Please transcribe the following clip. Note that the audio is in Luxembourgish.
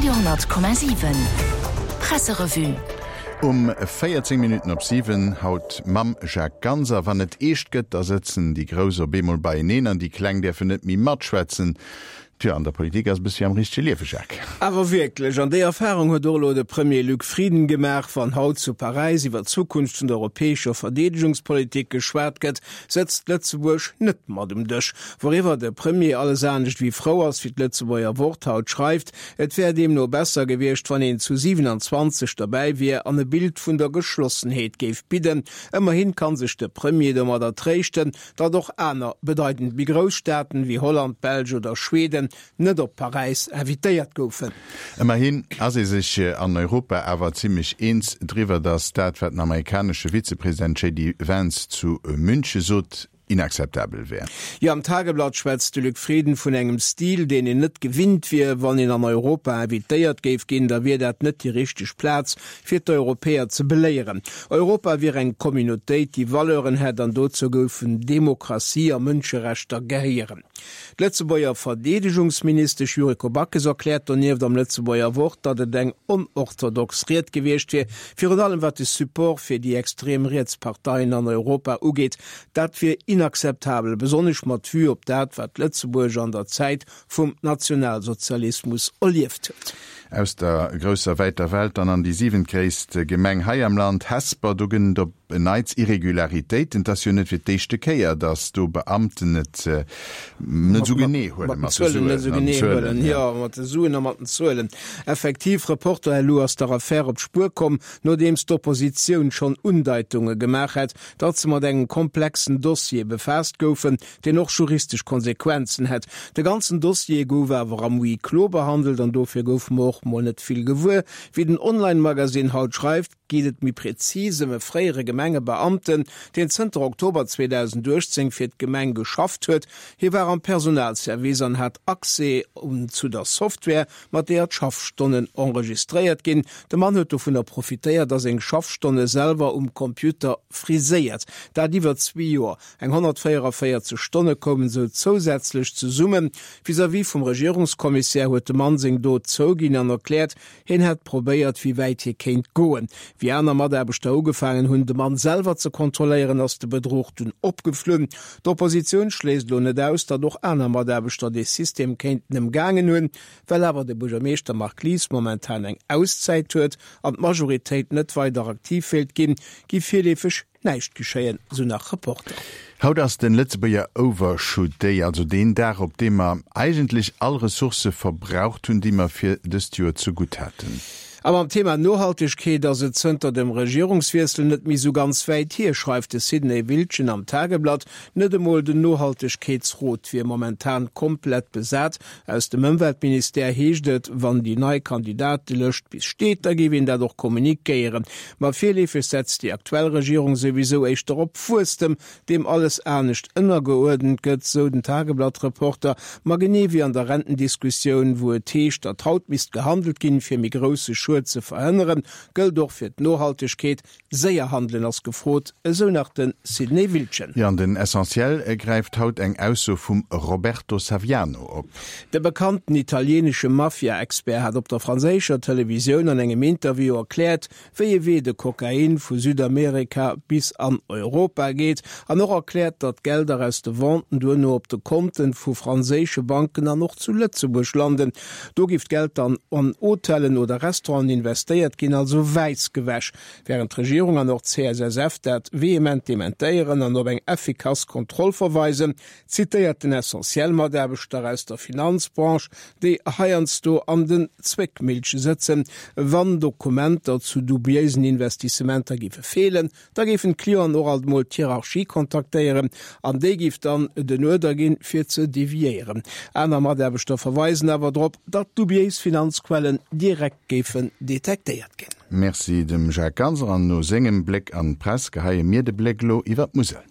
Radio 10,7 Presserevue. Um 14 Minutten op 7, haut mam Jacques Ganser. Wann et eescht gëtt, da sëtzen déi Grouss op eemol beieneen an déi Kleng däerfen net méi matschwätzen. Tjo, an der Politik ass e bëssi wéi am richtege Liewe, Jacques. Awer wierklech, an déi Erfarung huet och elo de Premier Luc Frieden gemaach. Wann haut zu Paräis iwwer d'Zukunft vun der europäescher Verdeedegungspolitik geschwat gëtt, sëtzt Lëtzebuerg net mat um Dësch. Wouriwwer de Premier alles anescht wéi frou ass, wéi d'Lëtzebuerger Wort haut schreift. Et wär deemno besser gewiescht, wann een zu 27 derbäi wier an e Bild vun der Geschlossenheet géif bidden. Ëmmerhin kann sech de Premier domadder tréischten, datt och aner bedeitend méi grouss Staaten, wéi Holland, d'Belsch oder Schweden, net op Paräis invitéiert goufen. Ëmmerhin ass ee sech an Europa awer zimmlech eens driwwer, datt dat, wat den amerikanesche Vizepresident JD Vance zu Münche sot, inakzeptabel wär. Jo, am Tageblatt schwätzt de Luc Frieden vun engem Stil, deen een net gewinnt wier. Wann een an Europa invitéiert géif ginn, da wier dat net déi richteg Plaz, fir d'Europäer ze beléieren. Europa wier eng Communautéit, déi Valeuren hätt an dozou goufen Demokratie a Mënscherechter gehéieren. D'Lëtzebuerger Verdeedegungsministesch Yuriko Backes erkläert donieft am Lëtzebuerger Wort, datt et eng onorthodox Ried gewiescht wier, virun allem wat de Support fir déi extrem riets Parteien an Europa ugeet. Dat wier inakzeptabel, besonnesch mat Vue op dat, wat Lëtzebuerg an der Zäit vum Nationalsozialismus erlieft huet. Aus der grousser wäiter Welt dann an déi siwentgréisst Gemeng hei am Land, Hesper. Do gënn et op en Neits Irregularitéiten. Et ass jo net fir d'éischte Kéier, datt do Beamten et net esou genee huele mat de Suen an den Zuelen. Jo, mat de Suen a mat den Zuelen. Effektiv, Reporter.lu ass der Affär op d'Spuer komm, nodeems d'Oppositioun schonn Undeitunge gemaach hätt, datt se mat engem komplexen Dossier befaasst goufen, deen och juristesch Konsequenzen hätt. De ganzen Dossier gouf awer am Huis clos behandelt an dofir goufe mer och mol net vill gewuer. Wéi den Online-Magasinn haut schreift, geet et méi prezis ëm e fréiere Gemengebeamten, deen zënter Oktober 2018 fir d'Gemeng geschafft huet. Hie war am Personalservice an hat Accès zu der Software, mat deeër d'Schaffstonnen enregistréiert ginn. De Mann huet dovunner profitéiert a seng Schaffstonne selwer um Computer friséiert. Dat iwwer zwee Joer. Eng 144 Stonne koumen esou zousätzlech zesummen. Vis-à-vis vum Regierungskommissär huet de Mann seng Dot zouginn an erkläert, hien hätt probéiert, wéi wäit hie kéint goen. Wéi aner Mataarbechter ugefaangen hunn, de Mann selwer ze kontrolléieren, ass de Bedruch dunn opgeflunn. D'Oppositioun schléisst elo net aus, datt och aner Mataarbechter dee System kéinten ëmgaangen hunn. Well awer de Buergermeeschter Marc Lies momentan eng Auszäit huet an d'Majoritéit net weider aktiv wéilt ginn, gi virleefeg Näischt geschéien, sou nach Reporter. Haut ass den Lëtzebuerger Overshoot Day, also deen Dag op deem mer eigentlech all Ressourcë verbraucht hunn, déi mer fir dëst Joer zegutt haten. A mam Thema Nohaltegkeet ass et zënter dem Regierungswiessel net méi sou ganz wäit hier, schreift de Sidney Wildgen am Tageblatt. Net emol den Nohaltegkeetsrot wier momentan komplett besat. Aus dem Ëmweltministère heescht et, wann déi nei Kandidatelëscht bis steet, da géif een dat och kommunikéieren. Ma virleefeg setzt déi aktuell Regierung souwisou éischter op Wuesstem, deem alles anescht ënnergeuerdent gëtt, sou den Tageblatt-Reporter. Ma genee wéi an der Rentendiskussioun, wou et heescht, datt haut misst gehandelt ginn, fir méi grousse Schued ze verhënneren, gëllt och fir d'Nohaltegkeet, Séier handelen ass gefrot, esou nach de Sidney Wildgen. Jo, an den Essentiel gräift haut eng Ausso vum Roberto Saviano op. De bekannten italienesche Mafia-Expert hat op der franséischer Televisioun an engem Interview erkläert, wéi e Wee de Kokain vu Südamerika bis an Europa geet an och erkläert, datt d'Gelder aus de Venten duerno op de Konten vu franséische Banken an och zu Lëtzebuerg landen. Do giff d'Geld dann an Hotellen oder Restauranten investéiert ginn, also wäiss gewäsch. Wärend d'Regierung an och d'CSSF dat vehement dementéieren an op eng effikass Kontroll verweisen, zitéiert den Essentiel Mataarbechter aus der Finanzbranche, déi heiansdo an den Zwéckmillche sëtzen, wann Dokumenter zu dubiéisen Investissementer géife feelen, Da géifen d'Clienten och alt mol d'Hierarchie kontaktéieren an déi géif dann den Uerder ginn, fir ze deviéieren. Aner Mataarbechter verweisen awer drop, datt dubiéis Finanzquellen direkt géifen detektéiert ginn. Merci dem Jacques Ganser an no sengem Bléck an d'Press geheie mir de Bléck elo iwwer d'Musel.